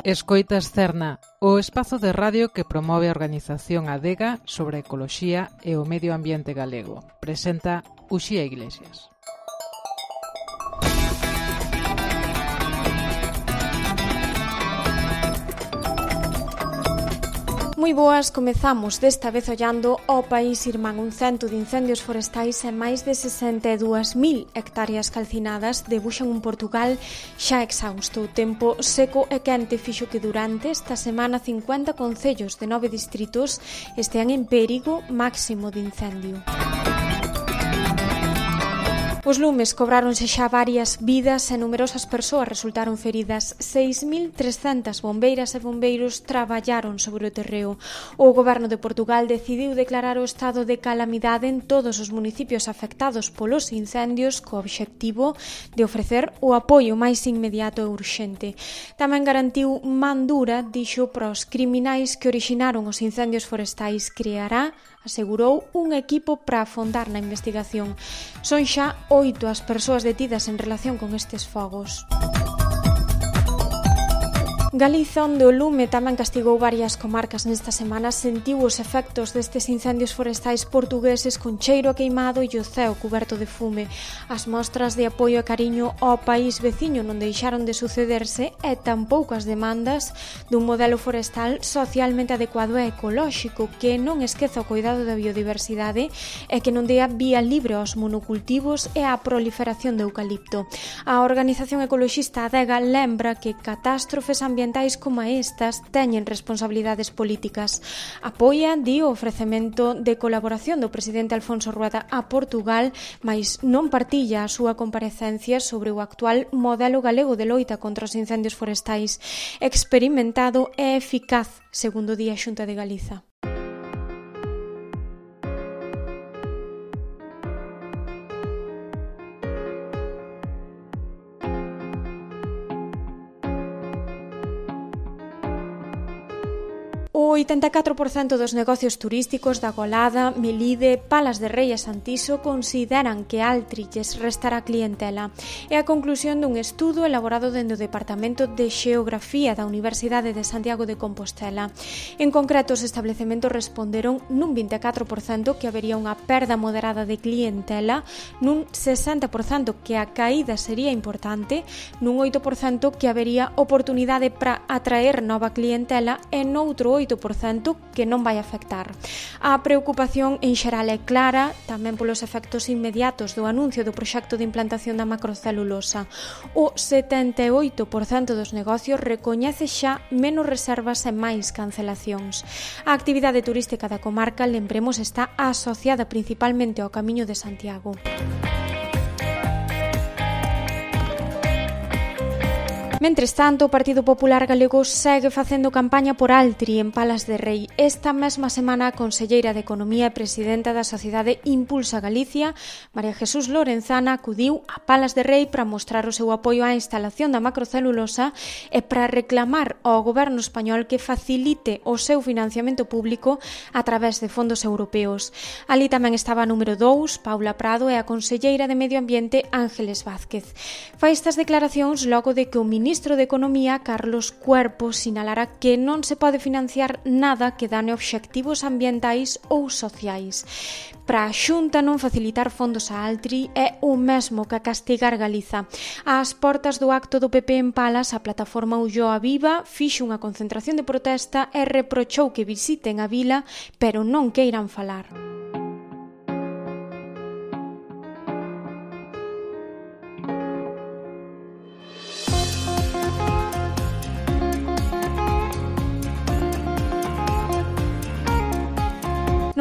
Escoitas Cerna, o espazo de radio que promove a organización Adega sobre ecoloxía e o medio ambiente galego. Presenta Uxía Iglesias. Moi boas, comezamos desta vez ollando ao país irmán. Un cento de incendios forestais e máis de 62.000 hectáreas calcinadas debuxan un Portugal xa exhausto. O tempo seco e quente fixo que durante esta semana 50 concellos de 9 distritos estean en perigo máximo de incendio. Os lumes cobráronse xa varias vidas e numerosas persoas resultaron feridas. 6.300 bombeiras e bombeiros traballaron sobre o terreo. O Goberno de Portugal decidiu declarar o estado de calamidade en todos os municipios afectados polos incendios co obxectivo de ofrecer o apoio máis inmediato e urxente. Tamén garantiu man dura, dixo, para os criminais que orixinaron os incendios forestais. Creará, asegurou, un equipo para afondar na investigación. Son xa 8 as persoas detidas en relación con estes fogos. Galiza, onde o lume tamén castigou varias comarcas nesta semana, sentiu os efectos destes incendios forestais portugueses con cheiro a queimado e o ceo cuberto de fume. As mostras de apoio e cariño ao país veciño non deixaron de sucederse e tampouco as demandas dun modelo forestal socialmente adecuado e ecolóxico que non esqueza o cuidado da biodiversidade e que non dea vía libre aos monocultivos e á proliferación de eucalipto. A organización ecoloxista Adega lembra que catástrofes ambientais como estas teñen responsabilidades políticas. Apoia, di, o ofrecemento de colaboración do presidente Alfonso Rueda a Portugal, mais non partilla a súa comparecencia sobre o actual modelo galego de loita contra os incendios forestais, experimentado e eficaz, segundo di a Xunta de Galiza. O 84% dos negocios turísticos da Golada, Melide, Palas de Rei e Santiso consideran que Altri lles restará clientela. É a conclusión dun estudo elaborado dende o Departamento de Xeografía da Universidade de Santiago de Compostela. En concreto, os establecementos responderon nun 24% que habería unha perda moderada de clientela, nun 60% que a caída sería importante, nun 8% que habería oportunidade para atraer nova clientela e noutro 8% que non vai afectar. A preocupación en xeral é clara, tamén polos efectos inmediatos do anuncio do proxecto de implantación da macrocelulosa. O 78% dos negocios recoñece xa menos reservas e máis cancelacións. A actividade turística da comarca, lembremos, está asociada principalmente ao Camiño de Santiago. Mentres tanto, o Partido Popular Galego segue facendo campaña por Altri en Palas de Rei. Esta mesma semana, a conselleira de Economía e presidenta da Sociedade Impulsa Galicia, María Jesús Lorenzana, acudiu a Palas de Rei para mostrar o seu apoio á instalación da macrocelulosa e para reclamar ao goberno español que facilite o seu financiamento público a través de fondos europeos. Ali tamén estaba a número 2, Paula Prado, e a conselleira de Medio Ambiente, Ángeles Vázquez. Fai estas declaracións logo de que o ministro de Economía, Carlos Cuerpo, sinalara que non se pode financiar nada que dane obxectivos ambientais ou sociais. Para a Xunta, non facilitar fondos a Altri é o mesmo que castigar Galiza. Ás portas do acto do PP en Palas, a plataforma Ulloa Viva fixo unha concentración de protesta e reprochou que visiten a vila, pero non queiran falar.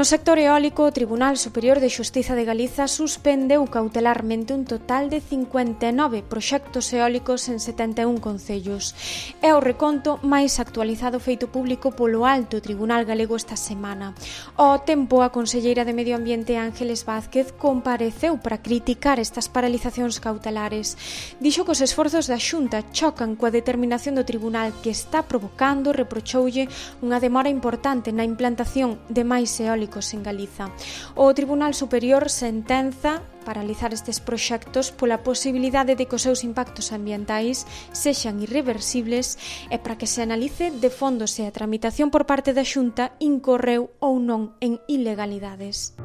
No sector eólico, o Tribunal Superior de Xustiza de Galiza suspendeu cautelarmente un total de 59 proxectos eólicos en 71 concellos. É o reconto máis actualizado feito público polo Alto Tribunal Galego esta semana. Ao tempo, a conselleira de Medio Ambiente, Ángeles Vázquez, compareceu para criticar estas paralizacións cautelares. Dixo que os esforzos da Xunta chocan coa determinación do Tribunal que está provocando, reprochoulle, unha demora importante na implantación de máis eólicos en Galiza. O Tribunal Superior sentenza paralizar estes proxectos pola posibilidade de que os seus impactos ambientais sexan irreversibles e para que se analice de fondo se a tramitación por parte da Xunta incorreu ou non en ilegalidades.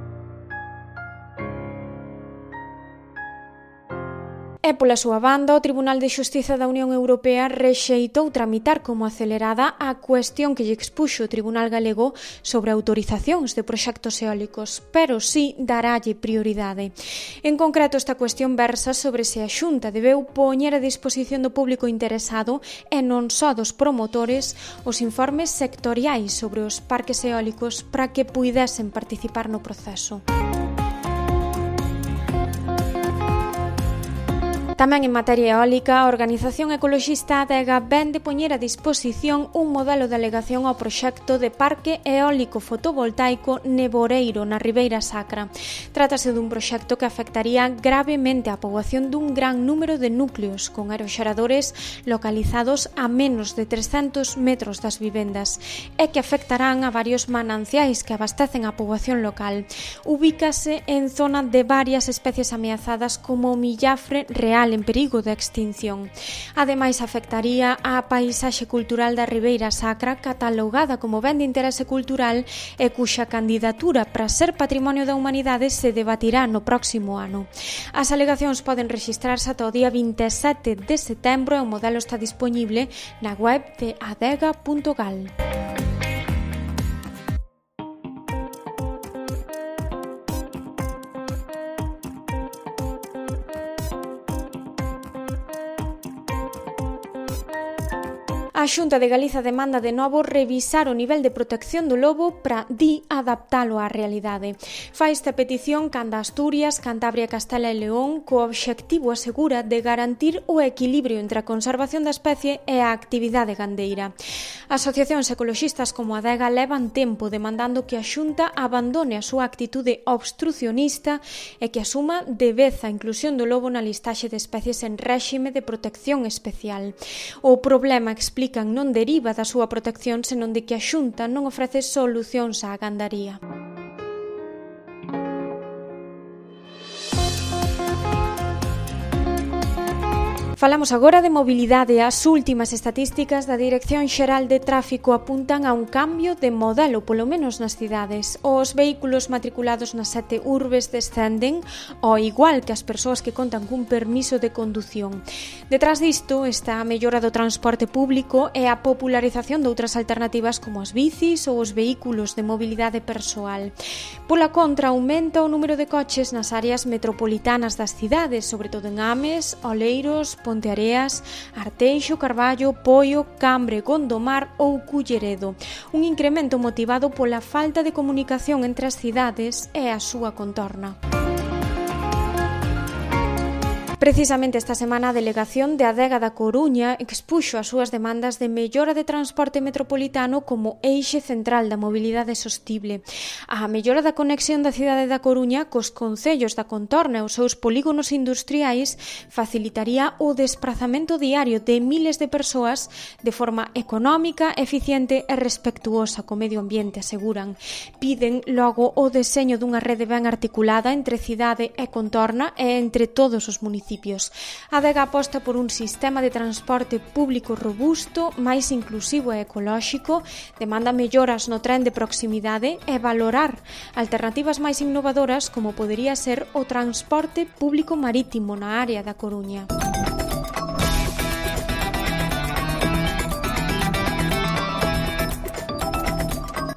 E pola súa banda, o Tribunal de Xustiza da Unión Europea rexeitou tramitar como acelerada a cuestión que lle expuxo o Tribunal Galego sobre autorizacións de proxectos eólicos, pero sí darálle prioridade. En concreto, esta cuestión versa sobre se a Xunta debeu poñer a disposición do público interesado e non só dos promotores os informes sectoriais sobre os parques eólicos para que puidesen participar no proceso. Tamén en materia eólica, a organización ecoloxista Adega vén de poñer a disposición un modelo de alegación ao proxecto de parque eólico fotovoltaico Neboreiro, na Ribeira Sacra. Trátase dun proxecto que afectaría gravemente a poboación dun gran número de núcleos, con aeroxeradores localizados a menos de 300 metros das vivendas, e que afectarán a varios mananciais que abastecen a poboación local. Ubícase en zona de varias especies ameazadas como o millafre real en perigo de extinción. Ademais, afectaría á paisaxe cultural da Ribeira Sacra, catalogada como ben de interese cultural e cuxa candidatura para ser Patrimonio da Humanidade se debatirá no próximo ano. As alegacións poden rexistrarse ata o día 27 de setembro e o modelo está disponible na web de adega.gal. A Xunta de Galiza demanda de novo revisar o nivel de protección do lobo para adaptalo á realidade. Fai esta petición canda Asturias, Cantabria, Castela e León co obxectivo, asegura, de garantir o equilibrio entre a conservación da especie e a actividade gandeira. Asociacións ecoloxistas como a Adega levan tempo demandando que a Xunta abandone a súa actitude obstrucionista e que asuma de vez a inclusión do lobo na listaxe de especies en réxime de protección especial. O problema, explica, non deriva da súa protección, senón de que a Xunta non ofrece solucións á gandaría. Falamos agora de mobilidade. As últimas estatísticas da Dirección Xeral de Tráfico apuntan a un cambio de modelo, polo menos nas cidades. Os vehículos matriculados nas 7 urbes descenden, ao igual que as persoas que contan cun permiso de condución. Detrás disto está a mellora do transporte público e a popularización de outras alternativas como as bicis ou os vehículos de mobilidade persoal. Pola contra, aumenta o número de coches nas áreas metropolitanas das cidades, sobre todo en Ames, Oleiros, Ponteareas, Arteixo, Carballo, Poio, Cambre, Gondomar ou Culleredo. Un incremento motivado pola falta de comunicación entre as cidades e a súa contorna. Precisamente esta semana a delegación de Adega da Coruña expuxo as súas demandas de mellora de transporte metropolitano como eixe central da mobilidade sostible. A mellora da conexión da cidade da Coruña cos concellos da contorna e os seus polígonos industriais facilitaría o desprazamento diario de miles de persoas de forma económica, eficiente e respectuosa co medio ambiente, aseguran. Piden logo o deseño dunha rede ben articulada entre cidade e contorna e entre todos os municipios. A Adega aposta por un sistema de transporte público robusto, máis inclusivo e ecolóxico, demanda melloras no tren de proximidade e valorar alternativas máis innovadoras como podería ser o transporte público marítimo na área da Coruña.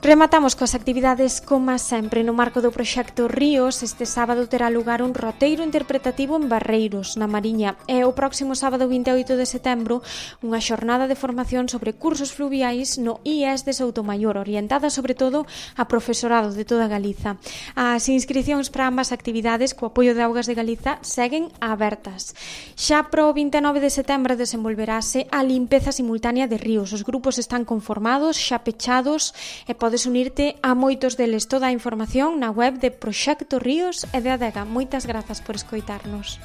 Rematamos coas actividades como sempre no marco do proxecto Ríos. Este sábado terá lugar un roteiro interpretativo en Barreiros, na Mariña, e o próximo sábado 28 de setembro unha xornada de formación sobre cursos fluviais no IES de Soutomaior, orientada sobre todo a profesorado de toda Galiza. As inscricións para ambas actividades co apoio de Augas de Galiza seguen abertas. Xa pro 29 de setembro desenvolverase a limpeza simultánea de ríos. Os grupos están conformados, xa pechados, e podes unirte a moitos deles. Toda a información na web de Proxecto Ríos e de Adega. Moitas grazas por escoitarnos.